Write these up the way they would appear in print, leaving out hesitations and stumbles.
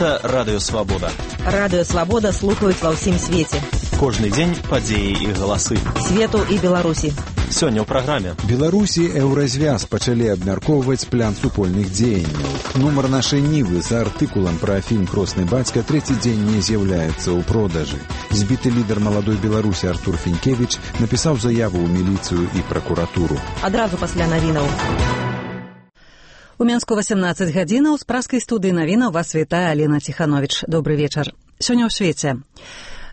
Гэта Радыё Свабода. Радыё Свабода слухаюць ва ўсім свеце. Кожны дзень падзеі і галасы. Свету і Беларусі. Сёння ў праграме. Беларусі Еўразвяз пачалі абмяркоўваць план супольных дзеянняў. Нумар нашай Нівы за артыкулам пра фільм «Кросны бацька» трэці дзень не з'яўляецца ў продажы. Збіты лідар маладой Беларусі Артур Фінкевіч напісаў заяву ў міліцыю і пракуратуру. Адразу пасля навінаў. У Менску 18 гадзінаў з праскай студыі навінаў вас вітае Алена Ціхановіч. Добры вечар. Сёння ў свеце.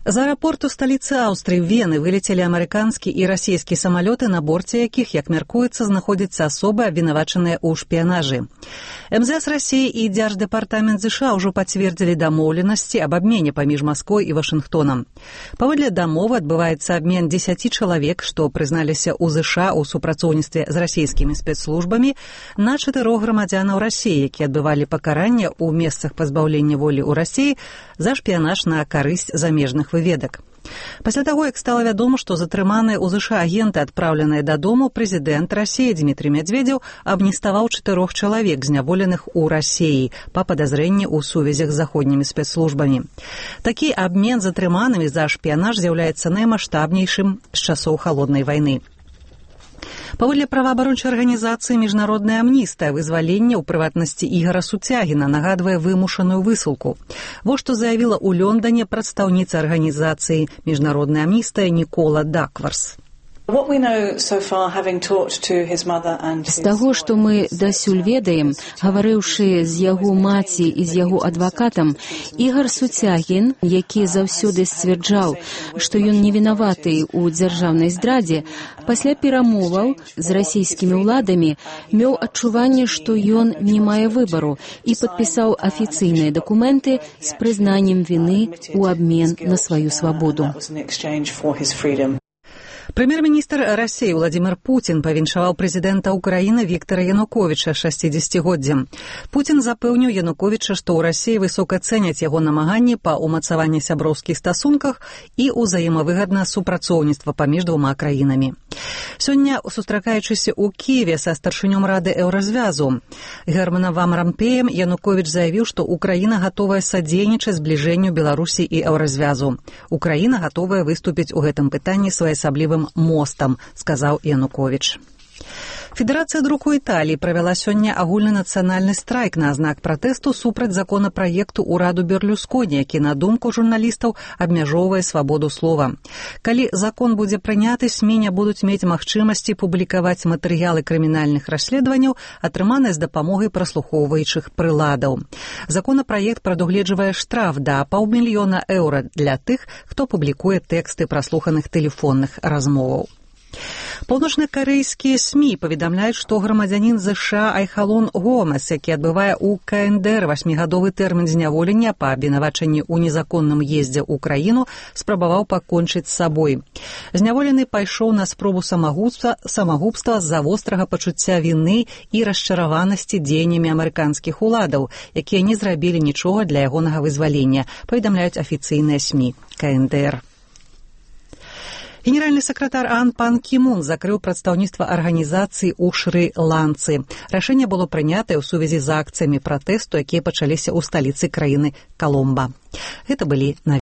З аэрапорту сталіцы Аўстрыі Вены вылецелі амерыканскі і расійскі самалёты, на борце якіх, як мяркуецца, знаходзяцца асобы, абвінавачаныя ў шпіянажы. МЗС Расіі і Дзярждэпартамент ЗША ўжо пацвердзілі дамоўленасці аб абмене паміж Масквой і Вашынгтонам. Паводле дамовы адбываецца абмен 10 чалавек, што прызналіся ў ЗША ў супрацоўніцтве з расійскімі спецслужбамі, на 4 грамадзянаў Расіі, якія адбывалі пакаранне ў месцах пазбаўлення волі ў Расіі за шпіянаж на карысць замежных выведак. Пасля таго, як стала вядома, што затрыманыя ў ЗША агенты, адпраўленыя дадому, прэзідэнт Расіі Дмітрый Медведзеў абніставаў 4 чалавек, зняволеных у Расіі па падазрэнні ў сувязях з заходнімі спецслужбамі. Такі абмен затрыманымі за шпіянаж з'яўляецца наймаштабнейшым з часоў халоднай вайны. Паводле праваабарончай арганізацыі «Міжнародная амністыя», вызваленне, ў прыватнасці Ігара Суцягіна, нагадвае вымушаную высылку. Вось што заявіла ў Лондане прадстаўніца арганізацыі «Міжнародная амністыя» Нікола Дакварс. З таго, што мы дасюль ведаем, гаварыўшы з яго маці і з яго адвакатам, Ігар Суцягін, які заўсёды сцвярджаў, што ён невінаваты ў дзяржаўнай здрадзе, пасля перамоваў з расійскімі ўладамі меў адчуванне, што ён не мае выбару, і падпісаў афіцыйныя дакументы з прызнаннем віны ў абмен на сваю свабоду. Прэм'ер-міністр Расіі Владзімір Пуцін павіншаваў прэзідэнта Ўкраіны Віктара Януковіча 60-годдзям. Пуцін запэўніў Януковіча, што ў Расіі высока цэняць яго намаганні па ўмацаванні сяброўскіх стасунках і ўзаемавыгадна супрацоўніцтва паміж двума краінамі. Сёння, сустракаючыся ў Кіеве са старшынём Рады Еўразвязу Германам Ван Рампеем, Януковіч заявіў, што Украіна гатовая садзейнічаць збліжэнню Беларусі і Еўразвязу. Украіна гатовая выступіць у гэтым пытанні своеасаблівым мостам, сказаў Януковіч. Федэрацыя друку Італіі правяла сёння агульнанацыянальны страйк на знак пратэсту супраць законапраекту ўраду Берлюсконі, які, на думку журналістаў, абмяжоўвае свабоду слова. Калі закон будзе прыняты, СМІ не будуць мець магчымасці публікаваць матэрыялы крымінальных расследаванняў, атрыманыя з дапамогай праслухоўваючых прыладаў. Законапраект прадугледжвае штраф да $500 000 для тых, хто публікуе тэксты праслуханых тэлефонных размоваў. Паўночнакарэйскія СМІ паведамляюць, што грамадзянін ЗША Айхалон Гомес, які адбывае ў КНДР 8-гадовы тэрмін зняволення па абвінавачанні ў незаконным ездзе ў краіну, спрабаваў пакончыць з сабой. Зняволены пайшоў на спробу самагубства з-за вострага пачуцця віны і расчараванасці дзеяннямі амерыканскіх уладаў, якія не зрабілі нічога для ягонага вызвалення, паведамляюць афіцыйныя СМІ КНДР. Генеральны сакратар АОН Пан Кі Мун закрыў прадстаўніцтва арганізацыі ў Шры-Ланцы. Рашэнне было прынятае ў сувязі з акцыямі пратэсту, якія пачаліся ў сталіцы краіны Коломба. Гэта былі навіны.